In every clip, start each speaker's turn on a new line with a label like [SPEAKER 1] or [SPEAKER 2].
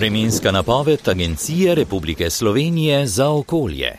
[SPEAKER 1] Vremenska napoved Agencije Republike Slovenije za okolje.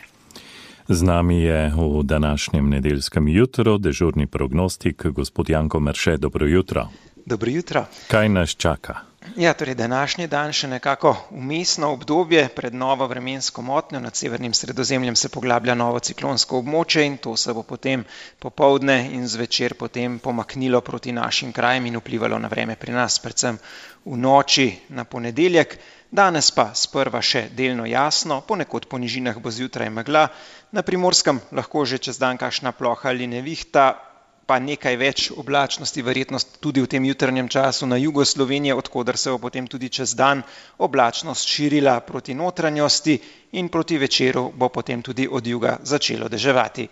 [SPEAKER 2] Z nami je v današnjem nedeljskem jutru dežurni prognostik gospod Janko Merše. Dobro jutro.
[SPEAKER 3] Dobro jutro.
[SPEAKER 2] Kaj nas čaka?
[SPEAKER 3] Ja, torej današnji dan še nekako vmesno obdobje pred novo vremensko motnjo. Nad severnim Sredozemljem se poglablja novo ciklonsko območje in to se bo potem popoldne in zvečer potem pomaknilo proti našim krajem in vplivalo na vreme pri nas, predvsem v noči na ponedeljek. Danes pa sprva še delno jasno, ponekod po nižinah bo zjutraj megla, na Primorskem lahko že čez dan kakšna ploha ali nevihta, pa nekaj več oblačnosti, verjetnost tudi v tem jutrnjem času na jugu Slovenije, odkoder se bo potem tudi čez dan oblačnost širila proti notranjosti in proti večeru bo potem tudi od juga začelo deževati.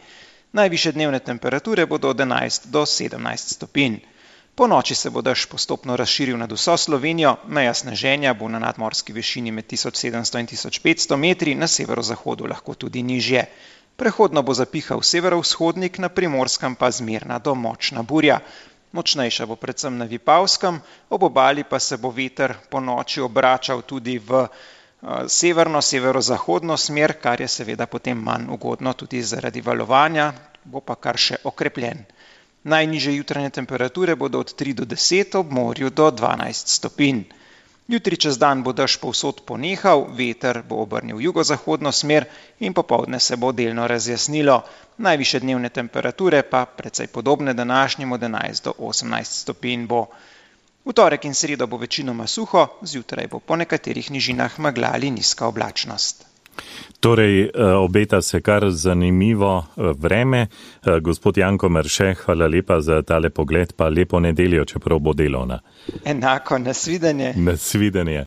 [SPEAKER 3] Najvišje dnevne temperature bodo od 11 do 17 stopinj. Po noči se bo dež postopno razširil nad vso Slovenijo, meja sneženja bo na nadmorski višini med 1700 in 1500 metri, na severozahodu lahko tudi nižje. Prehodno bo zapihal severovzhodnik, na Primorskem pa zmerna do močna burja. Močnejša bo predvsem na Vipavskem, ob obali pa se bo veter po noči obračal tudi v severno-severozahodno smer, kar je seveda potem manj ugodno tudi zaradi valovanja, bo pa kar še okrepljen. Najnižje jutranje temperature bodo od 3 do 10, ob morju do 12 stopinj. Jutri čez dan bo dež povsod ponehal, veter bo obrnil jugozahodno smer in popoldne se bo delno razjasnilo. Najvišje dnevne temperature pa precej podobne današnjim od 11 do 18 stopinj bo. V torek in sredo bo večinoma suho, zjutraj bo po nekaterih nižinah megla ali nizka oblačnost.
[SPEAKER 2] Torej, obeta se kar zanimivo vreme. Gospod Janko Merše, hvala lepa za tale pogled, pa lepo nedeljo, čeprav bo delovna.
[SPEAKER 3] Enako, nasvidenje.
[SPEAKER 2] Nasvidenje.